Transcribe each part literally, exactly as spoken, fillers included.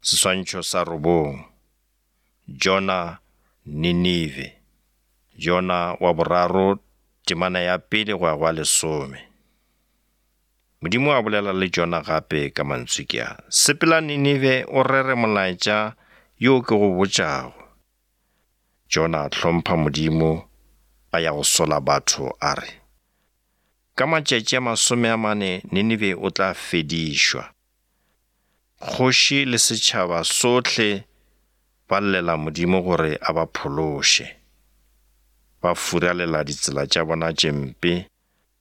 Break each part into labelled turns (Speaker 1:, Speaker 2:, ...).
Speaker 1: Seswantšho sa robong. Jona Ninive. Jona wa boraro temana ya pele go ya go lesome. Modimo a bolela le Jona gape ka mantswe ke a. Sepela Ninive o rere molaetša yo ke go botšago. Jona a hlompha Modimo a ya go sola batho a re, ka matšatši a masome a mane Ninive o tla fedišwa. Kgoši le setšhaba sohle ba llela Modimo gore a ba phološe. Ba furalela ditsela tša bona tše mpe,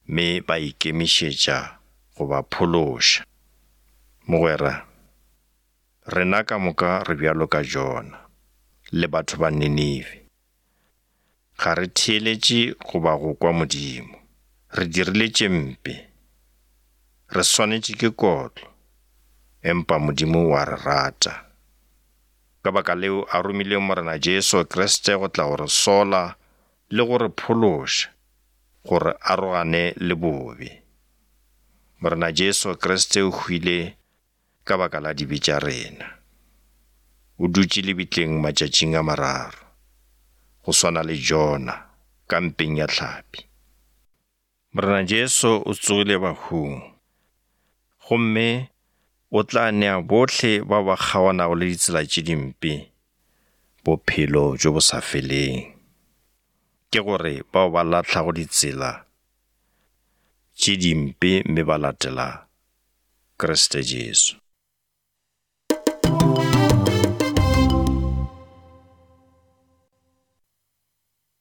Speaker 1: mme ba ikemišetša go ba phološa. Mogwera, rena ka moka re bjalo ka Jona le batho ba Ninive. Ga re theeletše go ba go kwa Modimo. Re dirile tše mpe. Re swanetše ke kotlo, empa Modimo wa re rata. Ka baka leo a romile Morena Jesu Kriste go tla go re sola le go re phološa, gore arogane le bobe. Morena Jesu Kriste o hwile ka baka la dibe tša rena. O dutše lebitleng matšatšing a mararo, go swana le Jona ka mpeng ya hlapi. Morena Jesu o tsogile bahung, gomme o tla nea bohle ba ba kgaonago le ditsela tše dimpe bophelo jo bo sa feleng. Ke gore bao ba lahlago ditsela tše dimpe mme ba latela Kriste Jesu.